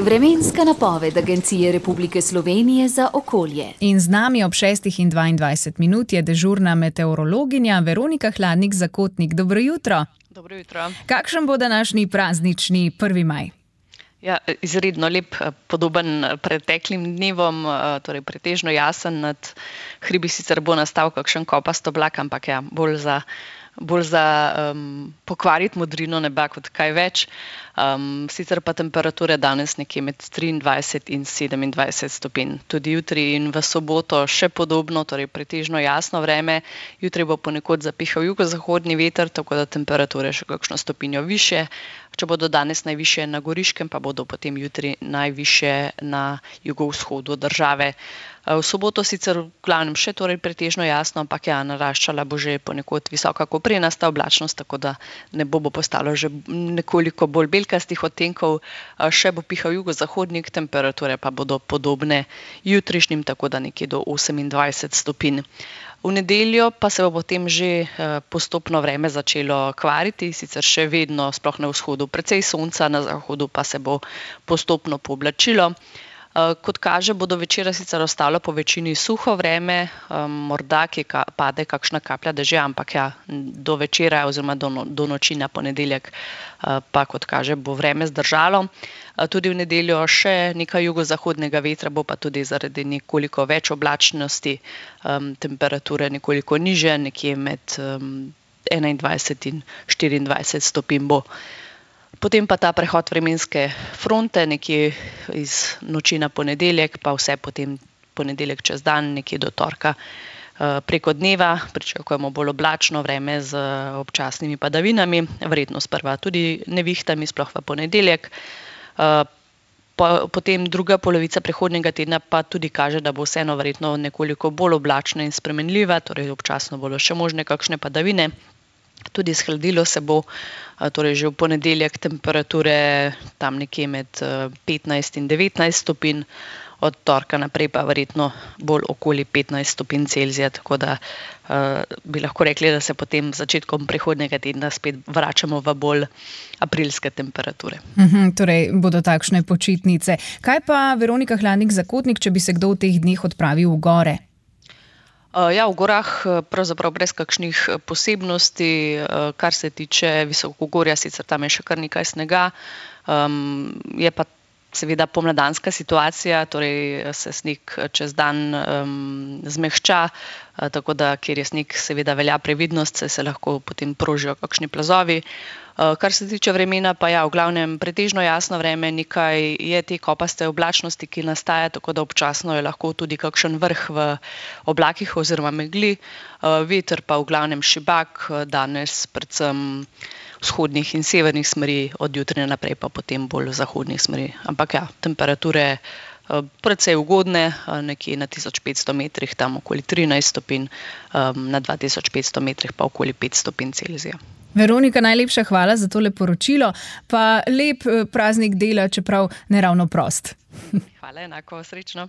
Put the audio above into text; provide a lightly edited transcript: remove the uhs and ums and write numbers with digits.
Vremenska napoved Agencije Republike Slovenije za okolje. In z nami ob 6:22 je dežurna meteorologinja Veronika Hladnik-Zakotnik. Dobro jutro. Dobro jutro. Kakšen bo današnji praznični 1. maj? Ja, izredno lep, podoben preteklim dnevom, torej pretežno jasen, nad hribi sicer bo nastal kakšen kopast oblak, ampak ja, bolj za pokvariti modrino neba kot kaj več. Sicer pa temperature danes nekje med 23 in 27 stopinj. Tudi jutri in v soboto še podobno, torej pretežno jasno vreme. Jutri bo ponekod zapihal jugozahodni veter, tako da temperature še kakšno stopinjo višje. Če bodo danes najvišje na Goriškem, pa bodo potem jutri najvišje na jugovzhodu države. V soboto sicer v glavnem še torej pretežno jasno, ampak ja, naraščala bo že ponekod visoka koprenasta oblačnost, tako da nebo bo postalo že nekoliko bolj belkastih odtenkov. Še bo pihal jugozahodnik, temperature pa bodo podobne jutrišnjim, tako da nekje do 28 stopinj. V nedeljo pa se bo potem že postopno vreme začelo kvariti, sicer še vedno, sploh na vzhodu, precej sonca, na zahodu pa se bo postopno pooblačilo. Kot kaže, bo do večera sicer ostalo po večini suho vreme, morda kje pade kakšna kaplja dežja, ampak ja, do večera oziroma do noči na ponedeljek pa, kot kaže, bo vreme zdržalo. Tudi v nedeljo še nekaj jugozahodnega vetra, bo pa tudi zaradi nekoliko več oblačnosti temperature nekoliko nižje, nekje med 21 in 24 stopinj bo. Potem pa ta prehod vremenske fronte, nekje iz noči na ponedeljek, pa vse potem ponedeljek čez dan, nekje do torka preko dneva. Pričakujemo bolj oblačno vreme z občasnimi padavinami, verjetno sprva tudi nevihtami, sploh v ponedeljek. Potem druga polovica prihodnjega tedna pa tudi kaže, da bo vseeno verjetno nekoliko bolj oblačna in spremenljiva, torej občasno bodo še možne kakšne padavine. Tudi shladilo se bo, torej že v ponedeljek temperature tam nekje med 15 in 19 stopinj, od torka naprej pa verjetno bolj okoli 15 stopinj Celzija, tako da bi lahko rekli, da se potem začetkom prihodnjega tedna spet vračamo v bolj aprilske temperature. Torej bodo takšne počitnice. Kaj pa Veronika Hladnik-Zakotnik, če bi se kdo v teh dneh odpravil v gore? Ja, v gorah pravzaprav brez kakšnih posebnosti, kar se tiče visokogorja, sicer tam je še kar nekaj snega. Je pa seveda pomladanska situacija, torej se sneg čez dan zmehča, tako da, kjer je sneg, seveda velja previdnost, se lahko potem prožijo kakšni plazovi. Kar se tiče vremena, pa ja, v glavnem pretežno jasno vreme, nekaj je te kopaste oblačnosti, ki nastaja, tako da občasno je lahko tudi kakšen vrh v oblakih oziroma megli. Veter pa v glavnem šibak, danes predvsem vzhodnih in severnih smeri, od jutra naprej pa potem bolj zahodnih smeri. Ampak ja, temperature precej ugodne, nekje na 1500 metrih, tam okoli 13 stopinj, na 2500 metrih pa okoli 5 stopinj Celzija. Veronika, najlepša hvala za tole poročilo, pa lep praznik dela, čeprav ne ravno prost. Hvala, enako, srečno.